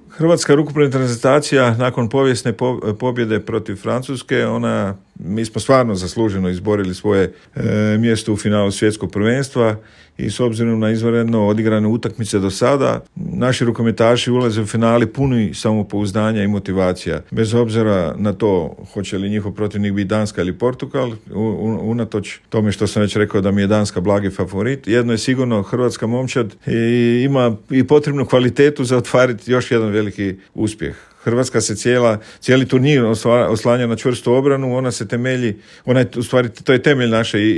Hrvatska rukometna reprezentacija nakon povijesne pobjede protiv Francuske, mi smo stvarno zasluženo izborili svoje mjesto u finalu svjetskog prvenstva i s obzirom na izvanredno odigrane utakmice do sada, naši rukometaši ulaze u finali puni samopouzdanja i motivacija. Bez obzira na to hoće li njihov protivnik biti Danska ili Portugal, unatoč tome što sam već rekao da mi je Danska blagi favorit, jedno je sigurno, hrvatska momčad ima i potrebnu kvalitetu za ostvariti još jedan veliki uspjeh. Hrvatska se cijeli turnir oslanja na čvrstu obranu, ona se temelji, to je temelj naše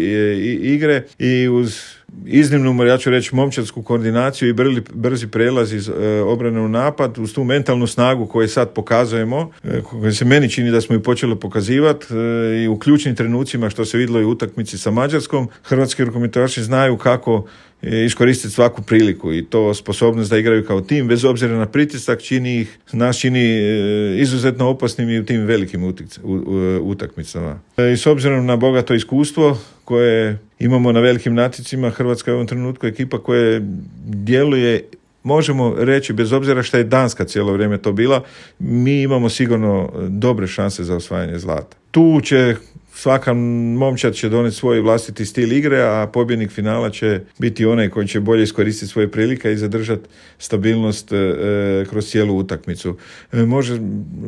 igre i uz iznimnu, ja ću reći, momčadsku koordinaciju i brzi prelaz iz obrane u napad, uz tu mentalnu snagu koju sad pokazujemo, koju se meni čini da smo ju počeli pokazivati i u ključnim trenucima, što se vidjelo i u utakmici sa Mađarskom, hrvatski rukometaši znaju kako iskoristiti svaku priliku i to sposobnost da igraju kao tim, bez obzira na pritisak, nas čini izuzetno opasnim i u tim velikim utakmicama. I s obzirom na bogato iskustvo koje imamo na velikim natjecima, Hrvatska je u ovom trenutku ekipa koja djeluje, možemo reći, bez obzira što je Danska cijelo vrijeme to bila, mi imamo sigurno dobre šanse za osvajanje zlata. Tu će svaka momčad će doneti svoj vlastiti stil igre, a pobjednik finala će biti onaj koji će bolje iskoristiti svoje prilike i zadržati stabilnost kroz cijelu utakmicu.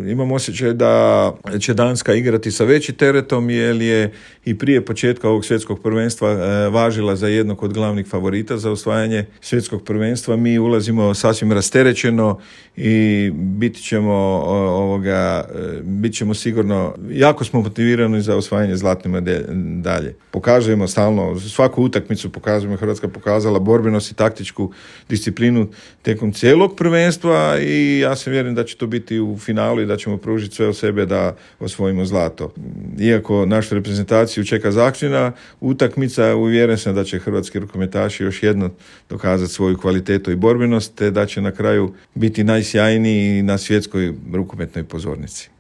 Imam osjećaj da će Danska igrati sa većim teretom, jer je i prije početka ovog svjetskog prvenstva važila za jednog od glavnih favorita za osvajanje svjetskog prvenstva. Mi ulazimo sasvim rasterećeno i bit ćemo sigurno, jako smo motivirani za osvajanje zlatne medalje. Pokazujemo stalno, svaku utakmicu pokazujemo, Hrvatska pokazala borbenost i taktičku disciplinu tijekom cijelog prvenstva i ja se vjerujem da će to biti u finalu i da ćemo pružiti sve od sebe da osvojimo zlato. Iako našu reprezentaciju čeka zahtjevna utakmica, uvjeren sam da će hrvatski rukometaši još jedno dokazati svoju kvalitetu i borbenost, te da će na kraju biti najsjajniji na svjetskoj rukometnoj pozornici.